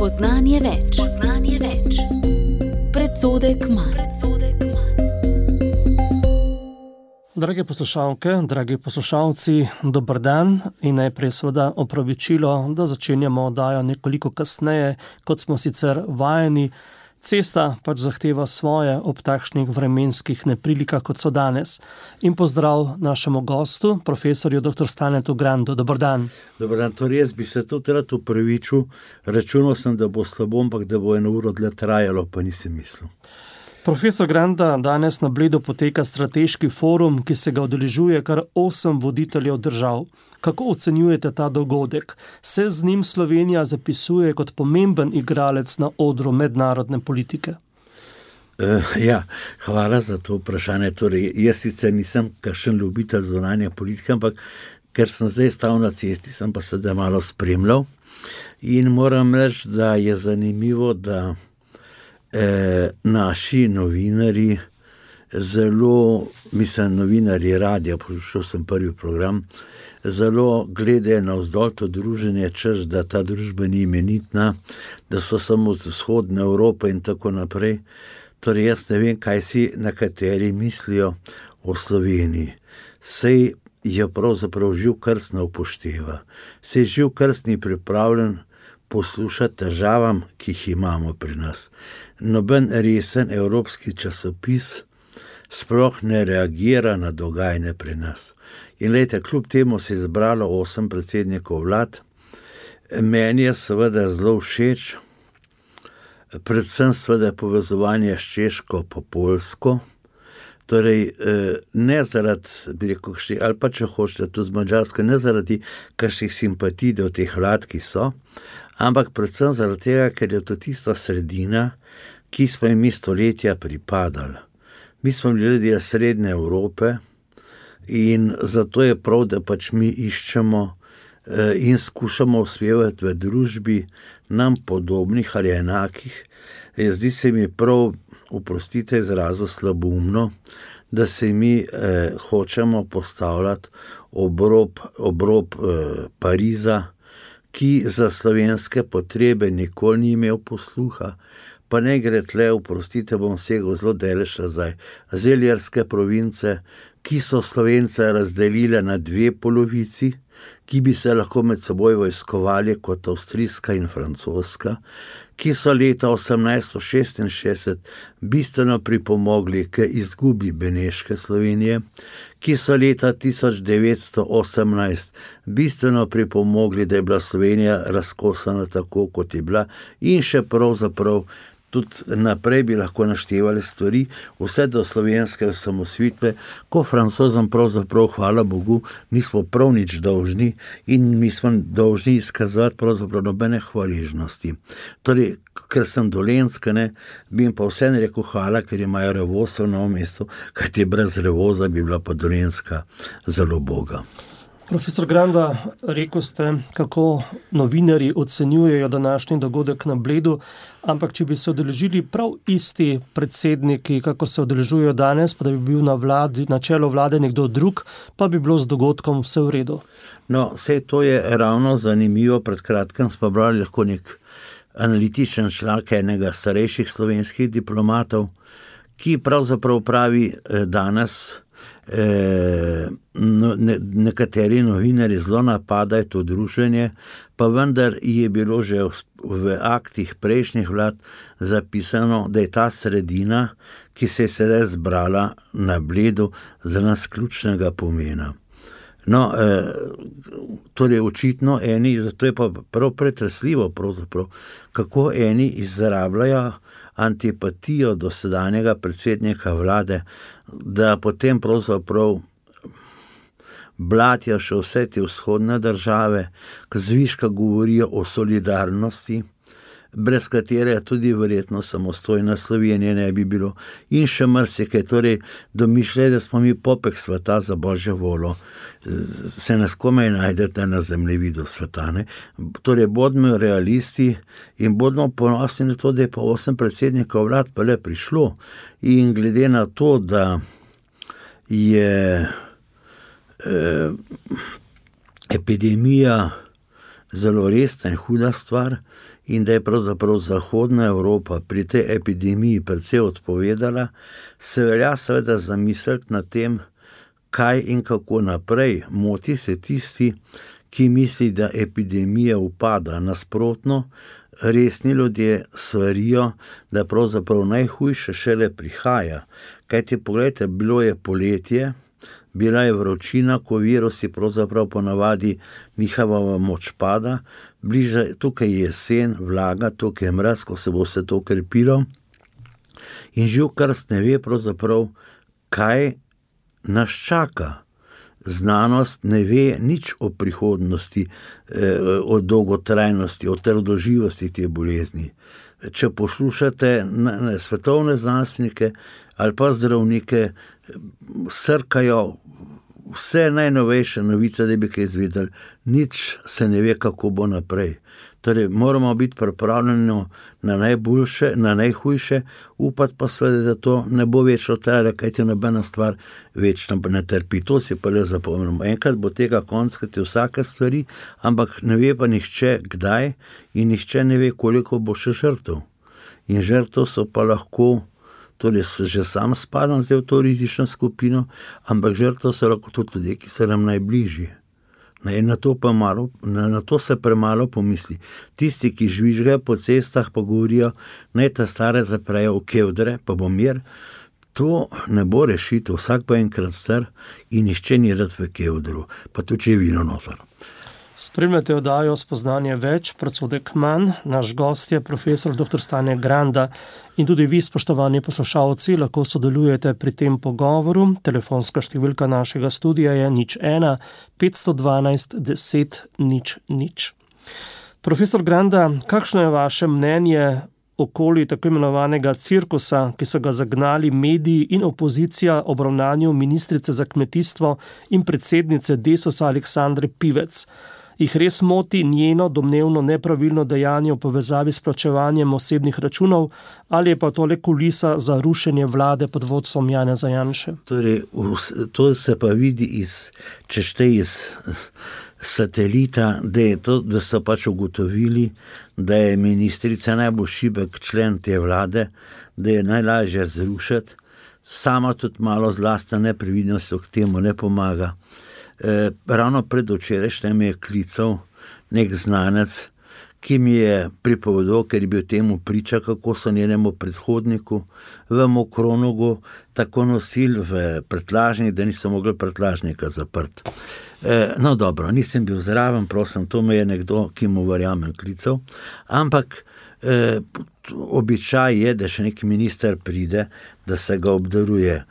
Spoznanje več. Predsodek manj. Drage poslušalke, dragi poslušalci, dober dan in najprej seveda opravičilo, da začenjamo oddajo nekoliko kasneje, kot smo sicer vajeni. Cesta pač zahteva svoje ob takšnih vremenskih neprilikah, kot so danes. In pozdrav našemu gostu, profesorju dr. Stanetu Grandu. Dober dan. Dober dan, to res bi se tudi rad upravičil. Računal sem, da bo slabo, ampak da bo 1 uro dlje trajalo, pa nisem mislil. Profesor Granda, danes na Bledu poteka strateški forum, ki se ga udeležuje kar 8 voditeljev držav. Kako ocenjujete ta dogodek? Se z njim Slovenija zapisuje kot pomemben igralec na odru mednarodne politike? Hvala za to vprašanje. Torej, jaz sicer nisem kakšen ljubitelj zunanje politike, ampak ker sem zdaj stal na cesti, sem pa sedaj malo spremljal. In moram reči, da je zanimivo, da naši novinarji novinarji radija, poslušal sem prvi program, zelo gledajo navzdol to druženje, češ, da ta družba ni imenitna, da so samo z vzhodne Evrope in tako naprej. Torej, jaz ne vem, kaj si nekateri mislijo o Sloveniji. Sej jo pravzaprav Živ Krst ne upošteva. Sej Živ Krst ni pripravljen poslušati težavam, ki jih imamo pri nas. Noben resen evropski časopis sploh ne reagira na dogajanje pri nas. In glejte, kljub temu se je zbralo 8 predsednikov vlad. Meni je seveda zelo všeč, predvsem seveda povezovanje s Češko po Poljsko. Torej, ne zaradi, bi rekel, ali pa če hočete tu z Madžarsko, ne zaradi kakšnih simpatij do teh vlad, ki so, ampak predvsem zaradi tega, ker je to tista sredina, ki smo jim stoletja pripadali. Mi smo bili ljudje srednje Evrope in zato je prav, da pač mi iščemo in skušamo uspevati v družbi nam podobnih ali enakih. Zdi se mi prav, oprostite izrazu, slaboumno, da se mi hočemo postavljati ob rob Pariza, ki za slovenske potrebe nikoli ni imel posluha. Pa ne gre tle, oprostite, bom segel zelo daleč nazaj. Zeljarske province, ki so Slovence razdelile na 2 polovici, ki bi se lahko med seboj vojskovali kot avstrijska in francoska, ki so leta 1866 bistveno pripomogli k izgubi Beneške Slovenije, ki so leta 1918 bistveno pripomogli, da je bila Slovenija razkosana tako, kot je bila, in še pravzaprav tudi naprej bi lahko naštevali stvari, vse do slovenske osamosvojitve, ko Francozom pravzaprav, hvala Bogu, nismo prav nič dolžni in mi smo dolžni izkazovati pravzaprav nobene hvaležnosti. Torej, ker sem Dolenjska, bi jim pa vseeno rekel hvala, ker imajo Revoz v Novem mestu, kajti brez Revoza bi bila pa Dolenjska zelo boga. Profesor Granda, rekel ste, kako novinarji ocenjujejo današnji dogodek na Bledu, ampak če bi se udeležili prav isti predsedniki, kako se udeležujejo danes, pa da bi bil na čelu vlade nekdo drug, pa bi bilo z dogodkom vse v redu. No, sej to je ravno zanimivo. Pred kratkim smo brali lahko nek analitičen članek enega starejših slovenskih diplomatov, ki pravzaprav pravi danes, nekateri novinarji zelo napadajo to druženje, pa vendar je bilo že v aktih prejšnjih vlad zapisano, da je ta sredina, ki se je sedaj zbrala na Bledu, za nas ključnega pomena. No, torej očitno eni, zato je pa prav pretresljivo pravzaprav, kako eni izrabljajo antipatijo do sedanjega predsednika vlade, da potem pravzaprav blatijo še vse te vzhodne države, ki zviška govorijo o solidarnosti, brez katere tudi verjetno samostojna Slovenija ne bi bilo, in še marsikaj. Torej, domišljajo, da smo mi popek sveta za božjo voljo, se nas komaj najdete na zemljevidu sveta. Torej, bodimo realisti in bodimo ponosni na to, da je pa 8 predsednikov vlad pa le prišlo. In glede na to, da je epidemija zelo resna in huda stvar in da je pravzaprav Zahodna Evropa pri tej epidemiji precej odpovedala, se velja seveda zamisliti nad tem, kaj in kako naprej. Moti se tisti, ki misli, da epidemija upada. Nasprotno, resni ljudje svarijo, da pravzaprav najhujše šele prihaja. Kajti pogledajte, bilo je poletje, bila je vročina, ko virusi pravzaprav ponavadi njihova moč pada, tukaj je jesen, vlaga, tukaj je mraz, ko se bo vse to krepilo in živ krst ne ve pravzaprav, kaj nas čaka. Znanost ne ve nič o prihodnosti, o dolgotrajnosti, o trdoživosti te bolezni. Če poslušate svetovne znanstvenike ali pa zdravnike, srkajo vse najnovejše novice, da bi kaj izvedeli, nič se ne ve, kako bo naprej. Torej, moramo biti pripravljeni na najboljše, na najhujše, upati pa seveda, da to ne bo večno trajalo, kajti nobena stvar večno ne trpi. To si pa le zapomnimo. Enkrat bo tega konc, kajti vsake stvari, ampak ne ve pa nihče kdaj in nihče ne ve, koliko bo še žrtev. In žrtev so pa lahko, torej že sam spadam zdaj v to rizično skupino, ampak žrtev so lahko tudi ljudje, ki so nam najbližji. Na to se premalo pomisli. Tisti, ki žvižgajo po cestah, pa govorijo, naj ta stare zaprejo v kevdre, pa bo mir. To ne bo rešitev, vsak pa enkrat star in nihče ni rad v kevdru, pa tudi če je vino noter. Spremljate oddajo Spoznanje več, predsodek manj. Naš gost je profesor dr. Stane Granda in tudi vi, spoštovani poslušalci, lahko sodelujete pri tem pogovoru. Telefonska številka našega studia je 01 512 10 00. Profesor Granda, kakšno je vaše mnenje okoli tako imenovanega cirkusa, ki so ga zagnali mediji in opozicija ob ravnanju ministrice za kmetijstvo in predsednice Desusa Aleksandre Pivec? Jih res moti njeno domnevno nepravilno dejanje v povezavi s plačevanjem osebnih računov ali je pa to le kulisa za rušenje vlade pod vodstvom Janeza Janše? Torej, to se pa vidi če štej iz satelita, da so pač ugotovili, da je ministrica najbolj šibek člen te vlade, da je najlažje zrušiti, sama tudi malo zlastna neprevidnost k temu ne pomaga. Ravno predvčerajšnjem me je klical nek znanec, ki mi je pripovedal, ker je bil temu priča, kako so njenemu predhodniku v Mokronogu tako nosili v prtljažnik, da niso mogli prtljažnika zaprti. No dobro, nisem bil zraven, prosim, to me je nekdo, ki mu verjamem, klical, ampak običaj je, da še nek minister pride, da se ga obdaruje.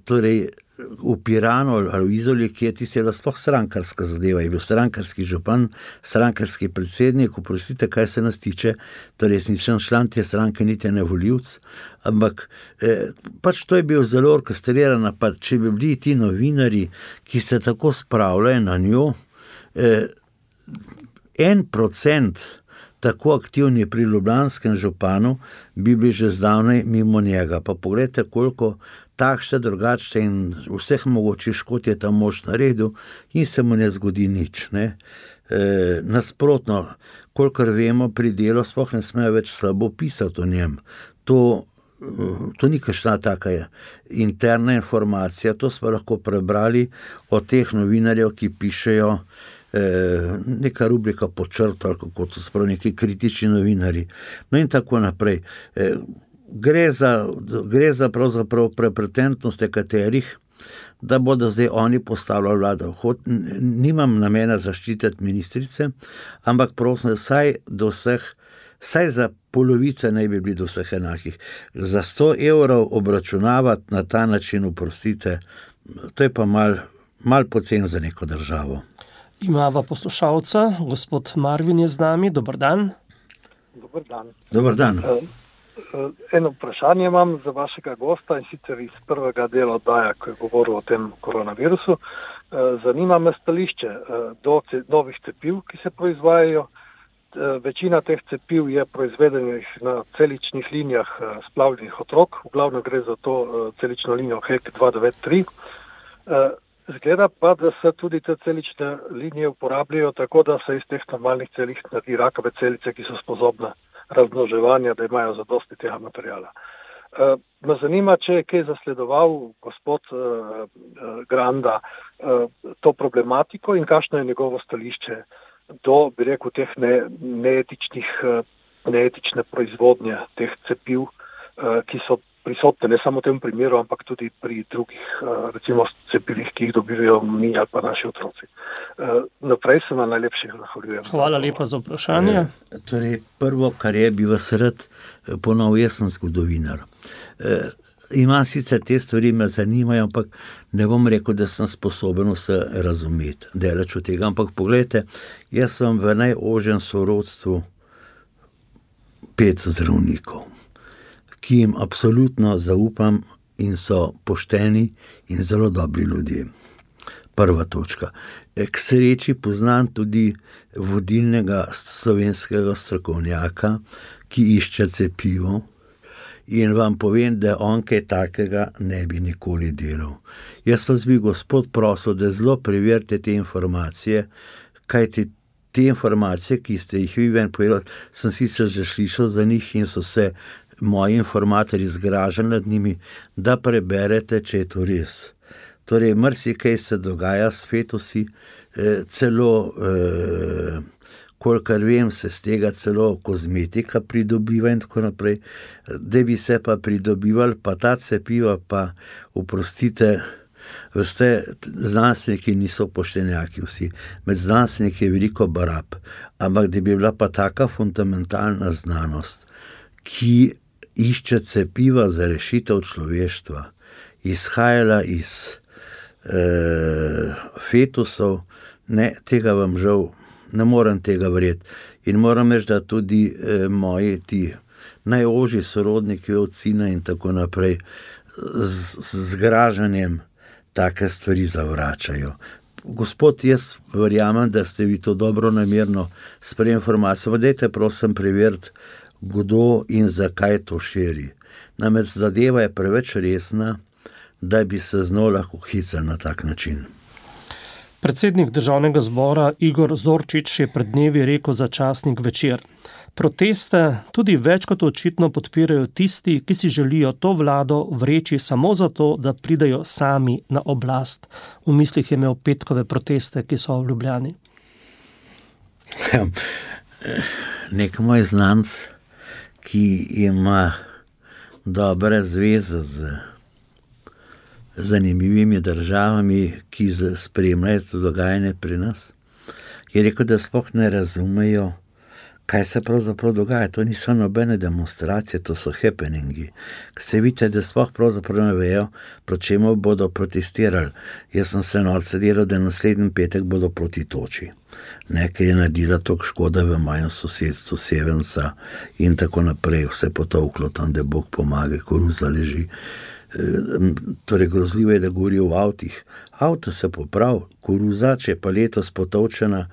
Torej, v Piranu ali v Izoli, ki je tisti sploh strankarska zadeva, je bil strankarski župan, strankarski predsednik, oprostite, kaj se nas tiče, torej jaz nisem član te stranke, niti ne volivec, ampak pač to je bil zelo orkestriran napad. Če bi bili ti novinari, ki se tako spravljajo na njo, 1% tako aktivni pri ljubljanskem županu, bi bili že zdavnaj mimo njega. Pa pogledajte, koliko takšne, drugačne in vseh mogočih škod je ta mož naredil in se mu ne zgodi nič. Nasprotno, kolikor vemo, pri Delu sploh ne smejo več slabo pisati o njem. To ni kakšna taka interna informacija, to smo lahko prebrali od teh novinarjev, ki pišejo neka rubrika pod črto, ali kako so sprav neki kritični novinari. No in tako naprej. Gre za pravzaprav prepretentnost nekaterih, da bodo zdaj oni postavljali vlado. Nimam namena zaščititi ministrice, ampak prosim, vsaj za polovice naj bi bili do vseh enakih. Za 100 evrov obračunavati na ta način, oprostite, to je pa mal pocen za neko državo. Imava poslušalca, gospod Marvin je z nami, dober dan. Dober dan. Dober dan. Eno vprašanje imam za vašega gosta in sicer iz prvega dela oddaja, ko je govoril o tem koronavirusu. Zanima me stališče do novih cepiv, ki se proizvajajo. Večina teh cepiv je proizvedenih na celičnih linijah splavljenih otrok, v glavnem gre za to celično linijo HEK 293. Zgleda pa, da se tudi te celične linije uporabljajo tako, da se iz teh normalnih celic naredi rakave celice, ki so sposobne razmnoževanja, da imajo zadosti tega materijala. Me zanima, če je kaj zasledoval gospod Granda to problematiko in kakšno je njegovo stališče do, bi rekel, teh neetične proizvodnje teh cepiv, ki so prisotne ne samo v tem primeru, ampak tudi pri drugih, recimo cepivih, ki jih dobivajo mi ali pa naši otroci. Naprej se vam najlepše zahvaljujem. Hvala lepa za vprašanje. Torej, prvo, kar je, bi vas rad ponovil, jaz sem zgodovinar. Imam sicer te stvari, me zanimajo, ampak ne bom rekel, da sem sposoben vse razumeti, daleč od tega. Ampak pogledajte, jaz sem v najožjem sorodstvu 5 zdravnikov, ki jim absolutno zaupam in so pošteni in zelo dobri ljudje. Prva točka. K sreči poznam tudi vodilnega slovenskega strokovnjaka, ki išče cepivo, in vam povem, da on kaj takega ne bi nikoli delal. Jaz vas bi, gospod, prosil, da zelo preverite te informacije, kajti te informacije, ki ste jih vi ven povedali, sem sicer že slišal za njih in so se moji informatorji zgražali nad njimi, da preberete, če je to res. Torej, marsikaj se dogaja s fetusi, celo, kolikor vem, se z tega celo kozmetika pridobiva in tako naprej, da bi se pa pridobivali, pa ta cepiva pa, oprostite, veste, znanstveniki niso poštenjaki vsi, med znanstveniki je veliko barab, ampak da bi bila pa taka fundamentalna znanost, ki išče cepiva za rešitev človeštva, izhajala iz fetusov, ne, tega vam žal, ne morem tega verjeti. In moram reči, da tudi moji ti najožji sorodniki od sina in tako naprej z zgražanjem take stvari zavračajo. Gospod, jaz verjamem, da ste vi to dobro namerno sprejeli informacijo, pa dajte prosim preveriti, kdo in zakaj to širi. Namreč zadeva je preveč resna, da bi se z njo lahko hicali na tak način. Predsednik Državnega zbora Igor Zorčič je pred dnevi rekel za časnik Večer. Proteste tudi več kot očitno podpirajo tisti, ki si želijo to vlado vreči samo zato, da pridejo sami na oblast. V mislih je imel petkove proteste, ki so v Ljubljani. Nek moj znanc, ki ima dobre zveze z zanimivimi državami, ki spremljajo to dogajanje pri nas, je rekel, da sploh ne razumejo, kaj se pravzaprav dogaja. To niso nobene demonstracije, to so happeningi. Se vidite, da sploh pravzaprav ne vejo, proti čemu bodo protestirali. Jaz sem se norce delal, da naslednji petek bodo proti toči. Nekaj je naredila toliko škoda v mojem sosedstvu, Sevenca in tako naprej, vse potovklo tam, da Bog pomaga, koruza leži. Torej, grozljivo je, da govorijo o avtih. Avto se popravi, koruza, če je pa letos potovčena,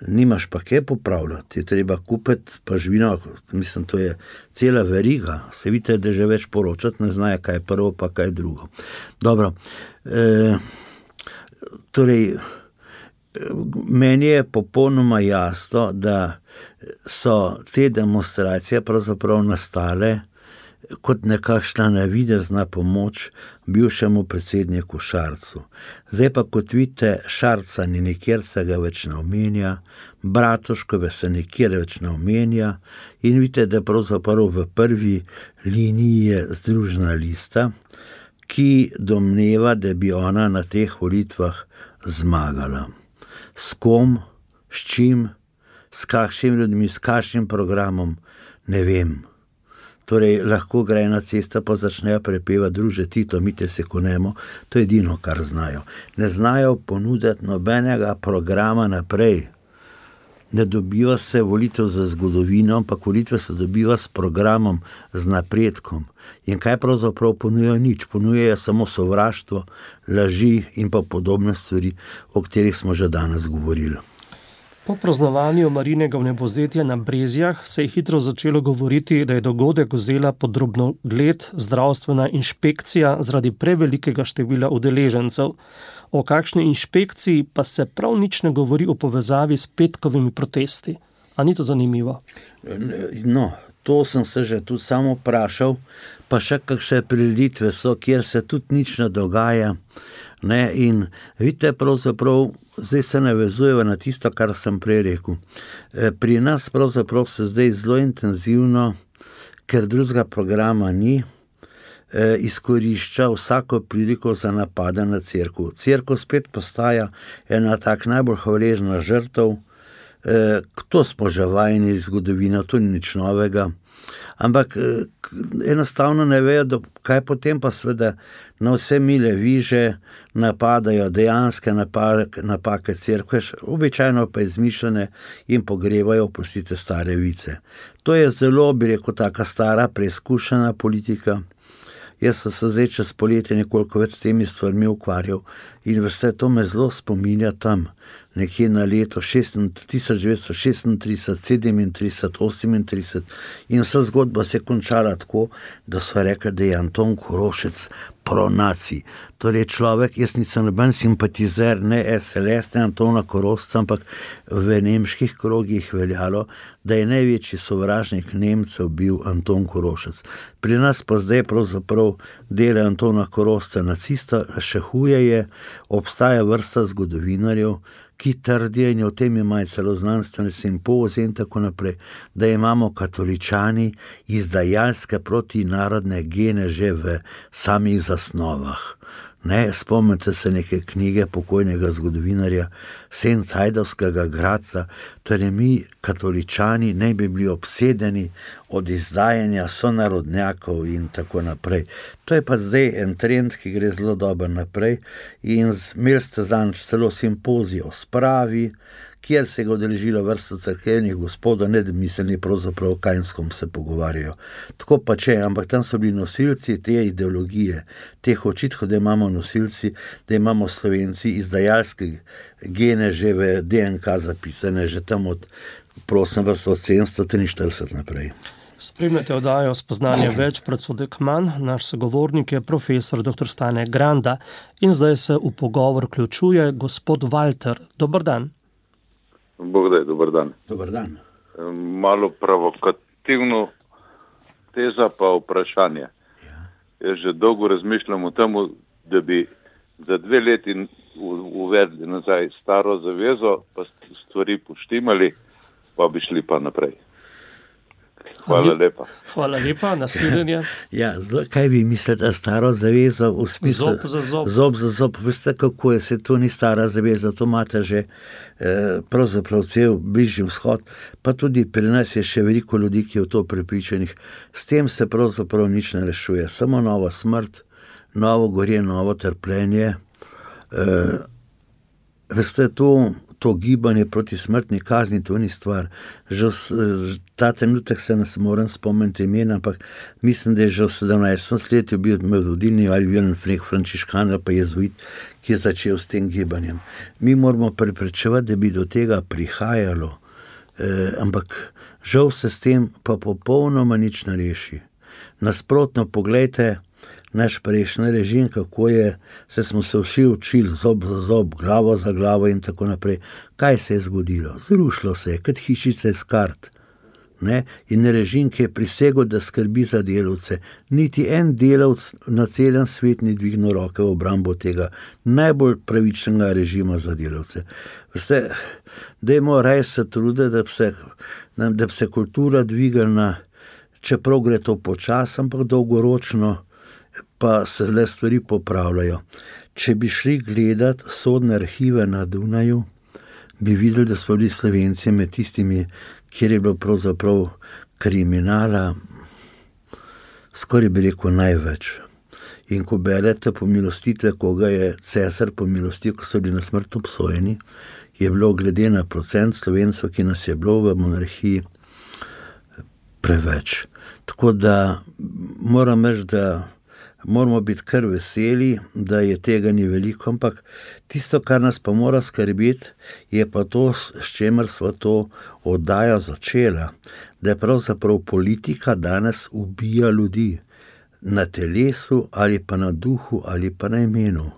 nimaš pa kaj popravljati, je treba kupiti pa živino, mislim, to je cela veriga. Se vidite, da že več poročati ne znajo, kaj je prvo, pa kaj je drugo. Dobro, torej, meni je popolnoma jasno, da so te demonstracije pravzaprav nastale kot nekakšna navidezna pomoč bivšemu predsedniku Šarcu. Zdaj pa, kot vidite, Šarca ni nikjer, se ga več ne omenja, Bratuškove se nikjer več ne omenja in vidite, da pravzaprav v prvi liniji je Združena lista, ki domneva, da bi ona na teh volitvah zmagala. S kom, s čim, s kakšnim ljudmi, s kakšnim programom, ne vem. Torej, lahko gre na cesta, pa začnejo prepevati druže Tito, mi te se konemo, to je edino, kar znajo. Ne znajo ponuditi nobenega programa naprej. Ne dobiva se volitev za zgodovino, ampak volitve se dobiva s programom, z napredkom. In kaj pravzaprav ponujajo? Nič. Ponujajo samo sovraštvo, laži in pa podobne stvari, o katerih smo že danes govorili. Po praznovanju Marijinega vnebovzetja na Brezjah se je hitro začelo govoriti, da je dogodek vzela pod drobnogled zdravstvena inšpekcija zaradi prevelikega števila udeležencev. O kakšni inšpekciji pa se prav nič ne govori v povezavi s petkovimi protesti. A ni to zanimivo? No, to sem se že tudi samo vprašal, pa še kakšne prireditve so, kjer se tudi nič ne dogaja. Ne, in vidite, pravzaprav, zdaj se navezujeva na tisto, kar sem prej rekel. Pri nas pravzaprav se zdaj zelo intenzivno, ker drugega programa ni, izkorišča vsako priliko za napade na cerkev. Cerkev spet postaja ena tak najbolj hvaležna žrtev, to smo že vajeni iz zgodovine, to ni nič novega. Ampak enostavno ne vejo, kaj potem pa seveda na vse mile viže napadajo dejanske napake cerkve, običajno pa izmišljene in pogrevajo, oprostite, stare vice. To je zelo, bi rekel, taka stara, preizkušena politika. Jaz sem se zdaj čez poletje nekoliko več s temi stvarmi ukvarjal in veste, to me zelo spominja tam, nekje na leto 1936, 37, 38 in vsa zgodba se je končala tako, da so rekli, da je Anton Korošec pro-nacij. Torej človek, jaz nisem noben simpatizer, ne SLS, ne Antona Korošca, ampak v nemških krogih veljalo, da je največji sovražnik Nemcev bil Anton Korošec. Pri nas pa zdaj pravzaprav dela Antona Korošca nacista, še huje je, obstaja vrsta zgodovinarjev, ki trdijo, in o tem imajo celo znanstvene simpozije in tako naprej, da imamo katoličani izdajalske protinarodne gene že v samih zasnovah. Ne, spomnite se neke knjige pokojnega zgodovinarja Sencajdovskega Gradca, torej mi, katoličani, ne bi bili obsedeni od izdajanja sonarodnjakov in tako naprej. To je pa zdaj en trend, ki gre zelo dobro naprej in imeli ste zanj celo simpozij o spravi, kjer se je udeležilo vrsto cerkvenih gospodov, ne da mislili pravzaprav o Kainskom se pogovarjajo. Tako pa če, ampak tam so bili nosilci te ideologije, teh očitkov, da imamo nosilci, da imamo Slovenci izdajalske gene že v DNK zapisane, že tam od 743 naprej. Spremljate oddajo Spoznanje več, predsodek manj. Naš sogovornik je profesor dr. Stane Granda in zdaj se v pogovor vključuje gospod Walter. Dober dan. Bogdaj, dober dan. Dober dan. Malo provokativno teza pa vprašanje. Ja. Jaz že dolgo razmišljam o tem, da bi za 2 leti uvedli nazaj staro zavezo, pa stvari poštimali, pa bi šli pa naprej. Hvala lepa. Hvala lepa, nasvidenje. Ja, kaj vi mislite, staro zavezo v smislu? Zob za zob. Zob za zob. Veste, kako je, se to ni stara zaveza, to imate že pravzaprav cel Bližnji vzhod, pa tudi pri nas je še veliko ljudi, ki je v to prepričanih. S tem se pravzaprav nič ne rešuje, samo nova smrt, novo gorje, novo trpljenje. Veste, to gibanje proti smrtni kazni, to ni stvar. Že ta trenutek se nas moram spomniti imena, ampak mislim, da je že v 17. stoletju bil vodilni ali frančiškan ali pa jezuit, ki je začel s tem gibanjem. Mi moramo preprečevati, da bi do tega prihajalo, ampak žal se s tem pa popolnoma nič ne reši. Nasprotno, poglejte, naš prejšnji režim, kako je, smo se vsi učili zob za zob, glavo za glavo in tako naprej. Kaj se je zgodilo? Zrušilo se je, kot hišice iz kart. Ne? In režim, ki je prisegel, da skrbi za delavce, niti en delavc na celem svet ni dvignil roke v obrambo tega najbolj pravičnega režima za delavce. Veste, dajmo raje se truditi, da bi se kultura dvignila, čeprav gre to počasi, ampak dolgoročno, pa se le stvari popravljajo. Če bi šli gledati sodne arhive na Dunaju, bi videli, da smo bili Slovenci med tistimi, kjer je bilo pravzaprav kriminala, skoraj bi rekel največ. In ko berete pomilostitve, koga je cesar pomilostil, ko so bili na smrt obsojeni, je bilo glede na procent Slovencev, ki nas je bilo v monarhiji, preveč. Tako da moram reči, da moramo biti kar veseli, da je tega ni veliko, ampak tisto, kar nas pa mora skrbeti, je pa to, s čemer sva to oddajo začela, da je pravzaprav politika danes ubija ljudi na telesu ali pa na duhu ali pa na imenu.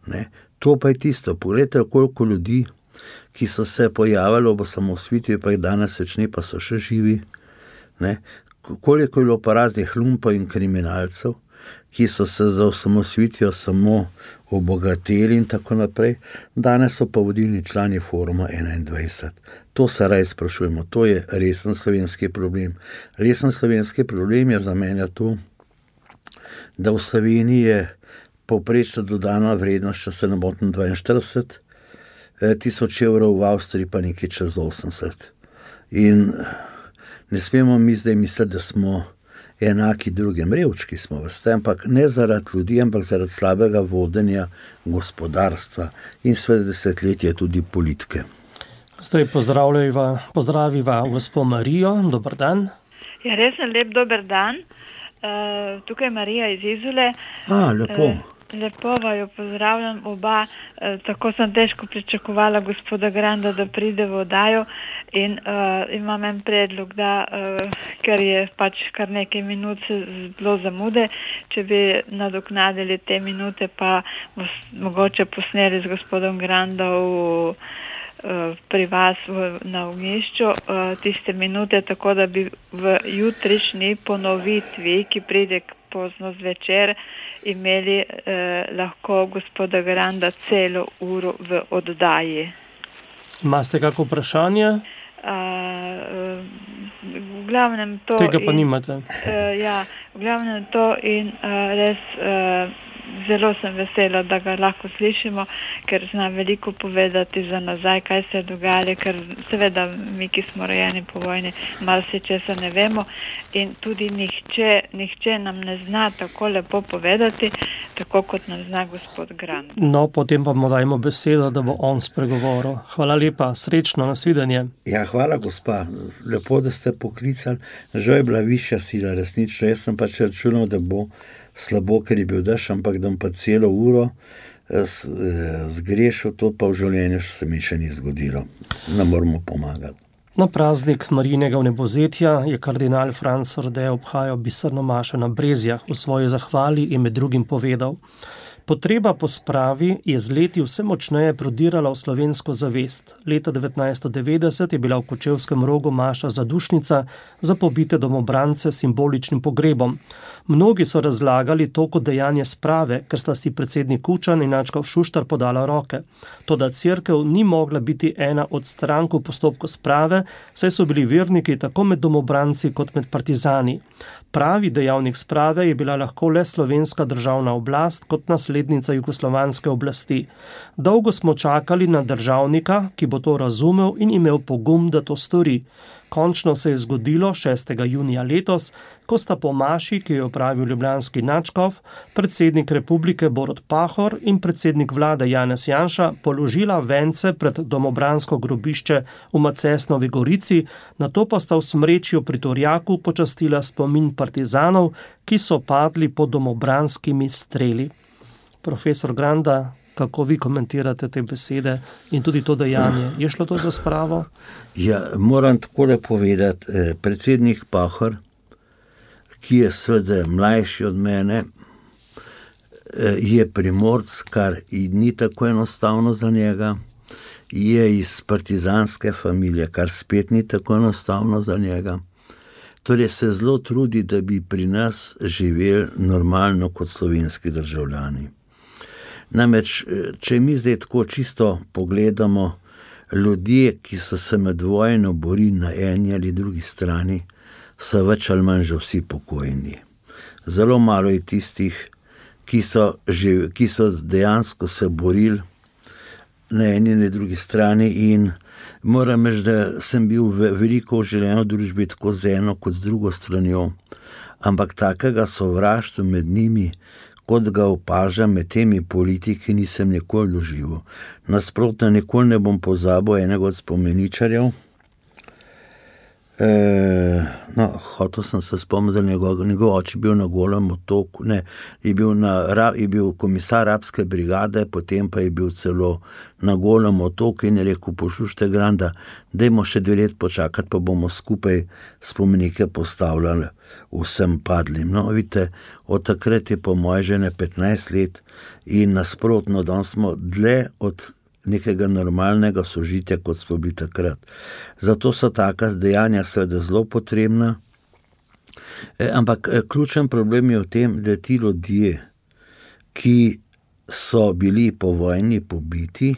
Ne? To pa je tisto, poglejte, koliko ljudi, ki so se pojavili ob osamosvojitvi, pa jih danes več ne, pa so še živi. Ne? Koliko je bilo pa raznih lumpov in kriminalcev, ki so se za osamosvojitvijo samo obogateli in tako naprej, danes so pa vodilni člani Foruma 21. To se raje sprašujemo, to je resen slovenski problem. Resen slovenski problem je za mene to, da v Sloveniji je povprečna dodana vrednost, če se ne motim, 42 tisoč evrov, v Avstriji pa nekaj čez 80. In ne smemo mi zdaj misliti, da smo enaki drugim, revčki smo, veste, ampak ne zaradi ljudi, ampak zaradi slabega vodenja gospodarstva in seveda desetletje tudi politike. Zdaj pozdraviva gospo Marijo, dober dan. Ja, res lep dober dan. Tukaj je Marija iz Izole. Lepo. Lepo vaju pozdravljam oba. Tako sem težko pričakovala gospoda Granda, da pride v oddajo in imam en predlog, da ker je pač kar nekaj minut bilo zamude, če bi nadoknadili te minute, pa mogoče posneli z gospodom Grandom pri vas na Ognjišču tiste minute, tako da bi v jutrišnji ponovitvi, ki pride pozno zvečer, imeli lahko gospoda Granda celo uro v oddaji. Imate kako vprašanje? V glavnem to... Tega pa nimate. Ja, v glavnem to in res... Zelo sem vesela, da ga lahko slišimo, ker zna veliko povedati za nazaj, kaj se je dogajalo, ker seveda mi, ki smo rojeni po vojni, malo se česa ne vemo in tudi nihče nam ne zna tako lepo povedati, tako kot nam zna gospod Grand. No, potem pa mu dajmo besedo, da bo on spregovoril. Hvala lepa, srečno, nasvidenje. Ja, hvala gospa, lepo, da ste poklicali. Žal je bila višja sila, resnično. Jaz sem pač računal, da bo slabo, ker je bil dež, ampak da pa celo uro zgrešil, to pa v življenju se mi še ni zgodilo. Ne moramo pomagati. Na praznik Marijinega vnebovzetja je kardinal Franc Rode obhajal biserno mašo na Brezjah. V svoji zahvali je med drugim povedal: Potreba po spravi je z leti vse močneje prodirala v slovensko zavest. Leta 1990 je bila v Kočevskem Rogu maša zadušnica za pobite domobrance s simboličnim pogrebom. Mnogi so razlagali to kot dejanje sprave, ker sta si predsednik Kučan in nadškof Šuštar podala roke. Toda cerkev ni mogla biti ena od strank v postopku sprave, saj so bili verniki tako med domobranci kot med partizani. Pravi dejavnik sprave je bila lahko le slovenska državna oblast kot naslednica jugoslovanske oblasti. Dolgo smo čakali na državnika, ki bo to razumel in imel pogum, da to stori. Končno se je zgodilo 6. junija letos, ko sta po maši, ki jo opravil ljubljanski nadškof, predsednik republike Borut Pahor in predsednik vlade Janez Janša položila vence pred domobransko grobišče v Macesnovi Gorici, nato pa sta v Smrečju pri Torjaku počastila spomin partizanov, ki so padli pod domobranskimi streli. Profesor Granda, kako vi komentirate te besede in tudi to dejanje? Je šlo to za spravo? Ja, moram takole povedati, predsednik Pahor, ki je seveda mlajši od mene, je Primorc, kar ni tako enostavno za njega, je iz partizanske familije, kar spet ni tako enostavno za njega. Torej se zelo trudi, da bi pri nas živeli normalno kot slovenski državljani. Namreč, če mi zdaj tako čisto pogledamo, ljudje, ki so se med vojno borili na eni ali drugi strani, so več ali manj že vsi pokojni. Zelo malo je tistih, ki so dejansko se borili na eni ali drugi strani in moram reči, da sem bil veliko v življenju družbi tako z eno kot z drugo stranjo, ampak takega sovraštva med njimi, kot ga opažam med temi politiki, nisem nikoli doživel. Nasprotno, nikoli ne bom pozabil enega od spomeničarjev, hotel sem se spomniti, da njegov oče bil na Golem otoku, je bil komisar Rabske brigade, potem pa je bil celo na Golem otoku in je rekel, poslušajte, Granda, dajmo še 2 let počakati, pa bomo skupaj spomenike postavljali vsem padlim. No, vidite, od takrat je po moje žene 15 let in nasprotno, da smo dlje od nekega normalnega sožitja, kot smo bili takrat. Zato so taka dejanja seveda zelo potrebna, ampak ključen problem je v tem, da ti ljudje, ki so bili po vojni pobiti,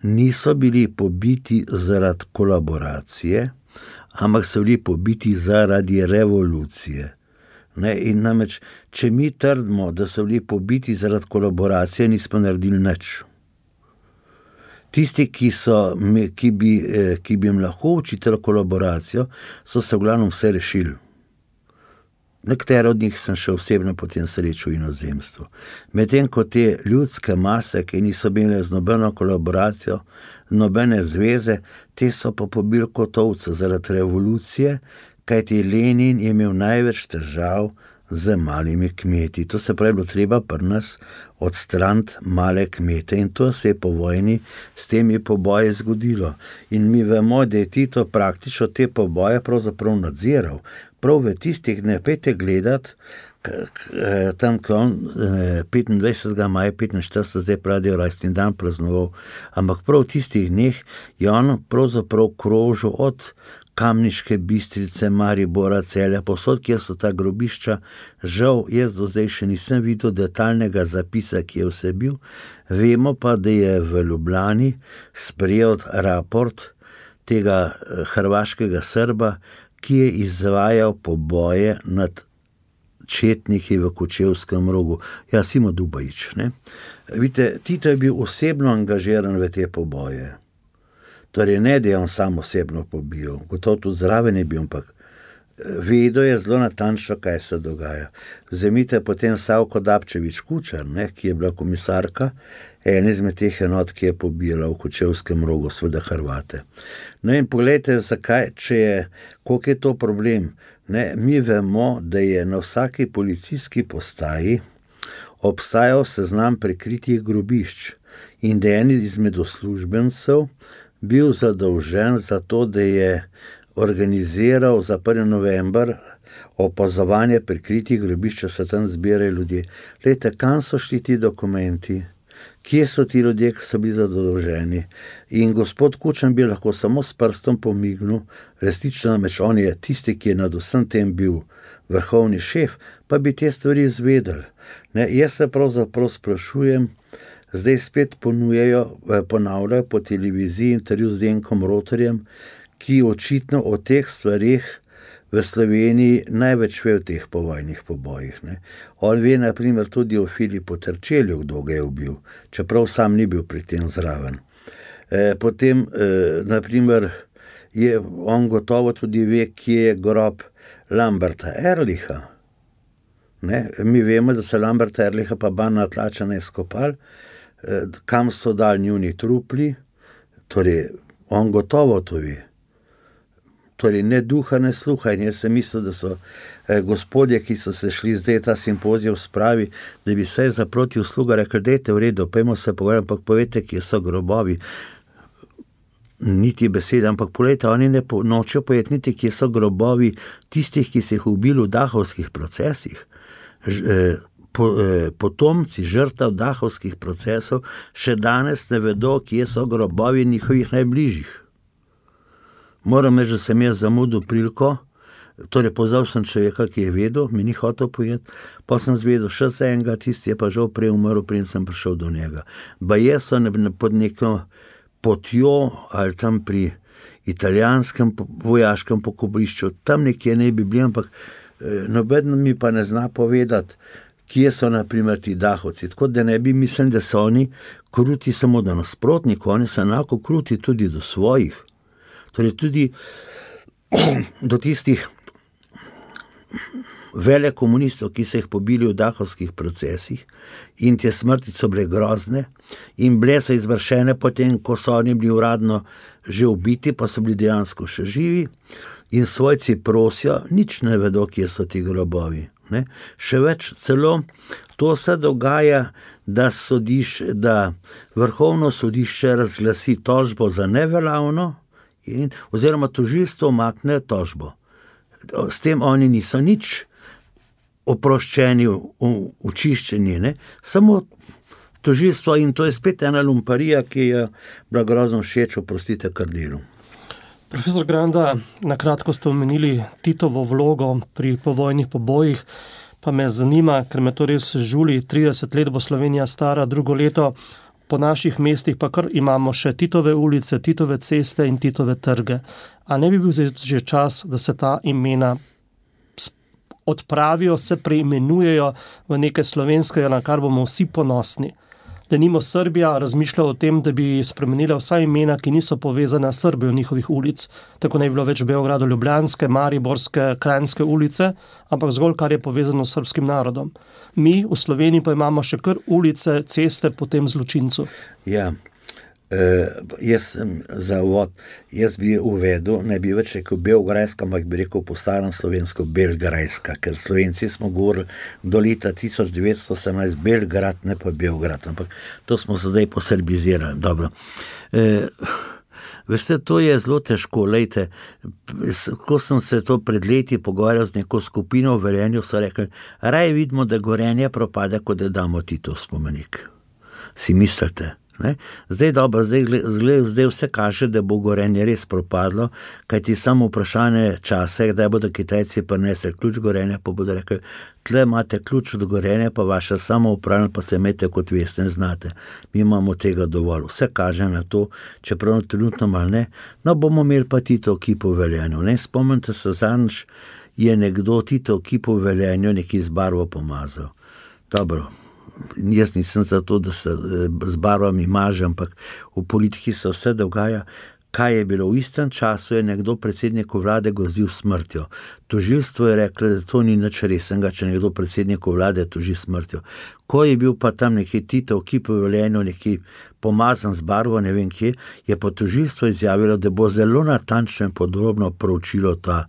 niso bili pobiti zaradi kolaboracije, ampak so bili pobiti zaradi revolucije. In namreč, če mi trdimo, da so bili pobiti zaradi kolaboracije, nismo naredili nič. Tisti, ki bi jim lahko učitali kolaboracijo, so se v glavnem vse rešili. Nekatere od njih sem še osebno potem srečal v inozemstvu. Medtem ko te ljudske mase, ki niso bile z nobeno kolaboracijo, nobene zveze, te so pa pobili kot ovce zaradi revolucije, kajti Lenin je imel največ težav z malimi kmeti. To se pravi, bilo treba pri nas odstraniti male kmete in to se je po vojni s temi poboji zgodilo. In mi vemo, da je Tito praktično te poboje pravzaprav nadziral. Prav v tistih dneh, pejte gledati, tam, ko on 25. maja 45, zdaj pravijo rojstni dan praznoval, ampak prav v tistih dneh je on pravzaprav krožil od Kamniške Bistrice, Maribora, Celja, povsod, kjer so ta grobišča. Žal, jaz do zdaj še nisem videl detaljnega zapisa, ki je vse bil. Vemo pa, da je v Ljubljani sprejel raport tega hrvaškega Srba, ki je izvajal poboje nad četniki v Kočevskem Rogu. Ja, Simo Dubajić, ne? Vidite, Tito je bil osebno angažiran v te poboje. Torej, ne, da je on sam osebno pobil, gotovo tudi zraven je bil, ampak vedel je zelo natančno, kaj se dogaja. Vzemite potem Savko Dapčević Kučar, ki je bila komisarka, ena izmed teh enot, ki je pobila v Kočevskem Rogu, seveda Hrvate. No in pogledajte, zakaj, koliko je to problem. Mi vemo, da je na vsaki policijski postaji obstajal seznam prikritih grobišč in da je en izmed uslužbencev bil zadolžen za to, da je organiziral za 1. november opazovanje prikritih grobišč, se tam zbirajo ljudje. Glejte, kam so šli ti dokumenti? Kje so ti ljudje, ki so bili zadolženi? In gospod Kučan bi lahko samo s prstom pomignil, resnično namreč on je tisti, ki je nad vsem tem bil vrhovni šef, pa bi te stvari izvedeli. Jaz se pravzaprav sprašujem, zdaj spet ponavljajo po televiziji intervju z Zdenkom Rotarjem, ki očitno o teh stvarih v Sloveniji največ ve o teh povojnih pobojih. On ve, na primer, tudi o Filipu Terčelju, kdo ga je ubil, čeprav sam ni bil pri tem zraven. Potem, na primer, on gotovo tudi ve, kje je grob Lamberta Erlicha. Mi vemo, da se Lamberta Erlicha pa Bana Tlačana izkopali, kam so dali njuni trupli, torej on gotovo to ve. Torej ne duha, ne sluha in jaz sem mislil, da so gospodje, ki so se šli zdaj ta simpozij spravi, da bi se za proti usluga rekli, dajte v redu, pojmo se pogovarjati, ampak povejte, kje so grobovi. Niti besede, ampak pogledajte, oni nočejo povedati niti, kje so grobovi tistih, ki se jih ubili v dahovskih procesih. Potomci žrtev dahovskih procesov še danes ne vedo, kje so grobovi njihovih najbližjih. Moram reči, da sem jaz zamudil priliko, torej pozval sem človeka, ki je vedel, mi ni hotel povedati, pa sem zvedel še za enega, tisti je pa žal prej umrl, preden sem prišel do njega. Baje so pod neko potjo ali tam pri italijanskem vojaškem pokopališču, tam nekje ne bi bili, ampak noben mi pa ne zna povedati, kje so na primer ti dahovci, tako da ne bi mislili, da so oni kruti samo do nasprotnikov, oni so enako kruti tudi do svojih, torej tudi do tistih velekomunistov, ki so jih pobili v dahovskih procesih in te smrti so bile grozne in bile so izvršene potem, ko so oni bili uradno že ubiti, pa so bili dejansko še živi in svojci prosijo, nič ne vedo, kje so ti grobovi. Ne? Še več, celo to se dogaja, da vrhovno sodišče razglasi tožbo za neveljavno oziroma tožilstvo umakne tožbo. S tem oni niso nič oproščeni, očiščeni, ne? Samo tožilstvo, in to je spet ena lumparija, ki je bila grozno všeč, oprostite, kar delu. Profesor Granda, nakratko ste omenili Titovo vlogo pri povojnih pobojih, pa me zanima, ker me to res žuli, 30 let bo Slovenija stara, drugo leto, po naših mestih pa kar imamo še Titove ulice, Titove ceste in Titove trge. A ne bi bil že čas, da se ta imena odpravijo, se preimenujejo v nekaj slovenskega, na kar bomo vsi ponosni? Denimo Srbija razmišlja o tem, da bi spremenila vsa imena, ki niso povezana s Srbijo njihovih ulic. Tako ne bi bilo več Beogradu Ljubljanske, Mariborske, Kranjske ulice, ampak zgolj kar je povezano s srbskim narodom. Mi v Sloveniji pa imamo še kar ulice, ceste po tem zločincu. Ja, jaz sem za uvod, jaz bi uvedel, ne bi več rekel Beograjska, ampak bi rekel po starem slovensko Belgrajska, ker Slovenci smo govorili do leta 1918 Belgrad, ne pa Beograd, ampak to smo se zdaj posrbizirali. Dobro. Veste, to je zelo težko. Lejte, ko sem se to pred leti pogovarjal z neko skupino v Velenju, so rekli, raje vidimo, da Gorenje propada, kot da damo Titov spomenik. Si mislite? Ne? Zdaj vse kaže, da bo Gorenje res propadlo, kajti samo vprašanje časa, kdaj bodo Kitajci prinesli ključ Gorenja, pa bodo rekli, tle imate ključ od Gorenja, pa vaša samoupravljanje, pa se imete, kot veste, ne znate. Mi imamo tega dovolj. Vse kaže na to, čeprav trenutno malo ne, no bomo imeli pa Tito kipo v Velenju. Ne? Spomnite se, zadnjič je nekdo Tito kipo v Velenju neki z barvo pomazal. Dobro. Jaz nisem za to, da se z barvami maže, ampak v politiki se vse dogaja. Kaj je bilo? V istem času je nekdo predsedniku vlade grozil smrtjo. Tožilstvo je reklo, da to ni nič resnega, če nekdo predsedniku vlade toži smrtjo. Ko je bil pa tam neki Tito v kipu v Velenju, neki pomazan z barvo, ne vem kje, je pa tožilstvo izjavilo, da bo zelo natančno in podrobno proučilo ta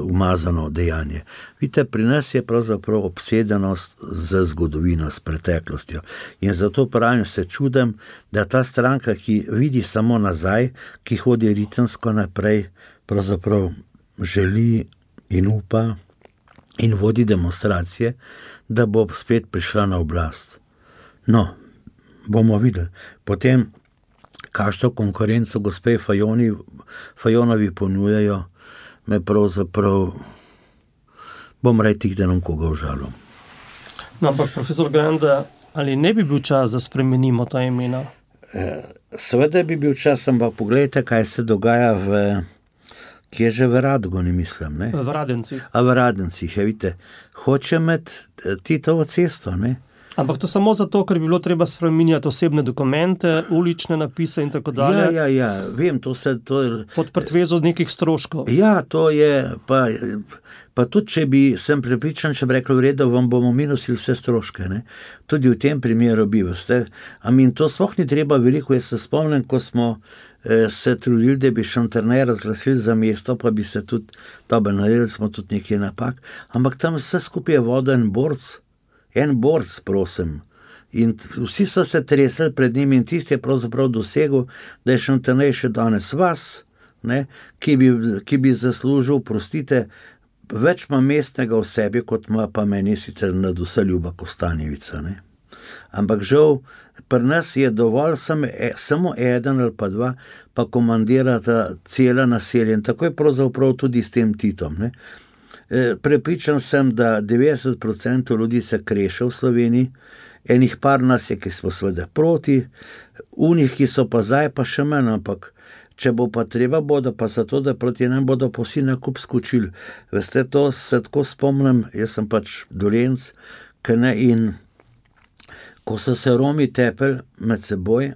umazano dejanje. Vidite, pri nas je pravzaprav obsedenost z zgodovino, s preteklostjo. In zato pravim, se čudem, da ta stranka, ki vidi samo nazaj, ki hodi ritemsko naprej, pravzaprav želi in upa in vodi demonstracije, da bo spet prišla na oblast. No, bomo videli. Potem, kakšno konkurenco gospe Fajonovi ponujajo, me pravzaprav bom rekel, da nam koga užalil. No, ampak profesor Granda, ali ne bi bil čas, da spremenimo ta imena? Seveda bi bil čas, ampak pogledajte, kaj se dogaja kje že v Radgoni, mislim, ne? V Radencih. V Radencih, vidite, hoče imeti Titovo cesto, ne? Ampak to samo zato, ker bi bilo treba spreminjati osebne dokumente, ulične napise in tako dalje. Ja, vem, to pod pretvezo nekih stroškov. Ja, to je, pa tudi, če sem prepričan, če bi rekel, v redu, vam bomo minusili vse stroške, ne? Tudi v tem primeru bi, veste. To sploh ni treba veliko, jaz se spomnim, ko smo se trudili, da bi Šentjernej razglasili za mesto, pa bi se tudi, dobro, naredili smo tudi nekaj napak, ampak tam vse skupaj je voda en borc, prosim. In vsi so se tresli pred njim in tisti je pravzaprav dosegel, da je Šentjernej še danes vas, ne, ki bi zaslužil, prostite, več ima mestnega v sebi, kot ima pa meni sicer nadvse Ljuba Kostanjevica. Ne. Ampak žal, pri nas je dovolj samo eden ali pa dva, pa komandirata cela naselja in tako je pravzaprav tudi s tem Titom. Ne. Prepričan sem, da 90% ljudi se kreše v Sloveniji, enih par nas je, ki smo seveda proti, unih, ki so pa zdaj, pa še manj, ampak če bo pa treba, bodo pa zato, da proti nam bodo pa vsi nakup skočili. Veste, to se tako spomnim, jaz sem pač Dolenc, in ko so se Romi tepeli med seboj,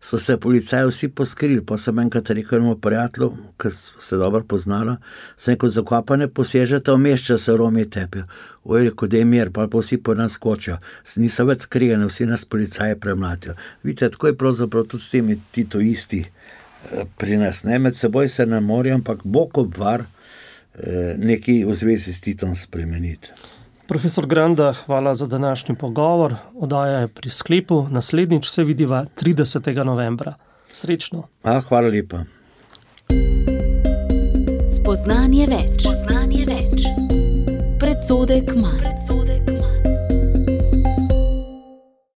so se policaji vsi poskrili, pa sem enkrat rekel enemu prijatelju, ki se dobro poznala, sem rekel, zakaj pa ne posežete vmes, če se Romi tepijo. Rekel, da je mir, pa vsi po nas skočijo. Niso več skrijeni, vsi nas policaji premlatijo. Vidite, tako je pravzaprav tudi s temi titoisti, pri nas ne, med seboj se ne morajo, ampak Bog obvar nekaj v zvezi s Titom spremeniti. Profesor Granda, hvala za današnji pogovor. Oddaja je pri sklepu. Naslednjič se vidiva 30. novembra. Srečno. Hvala lepa. Spoznanje več. Predsodek manj.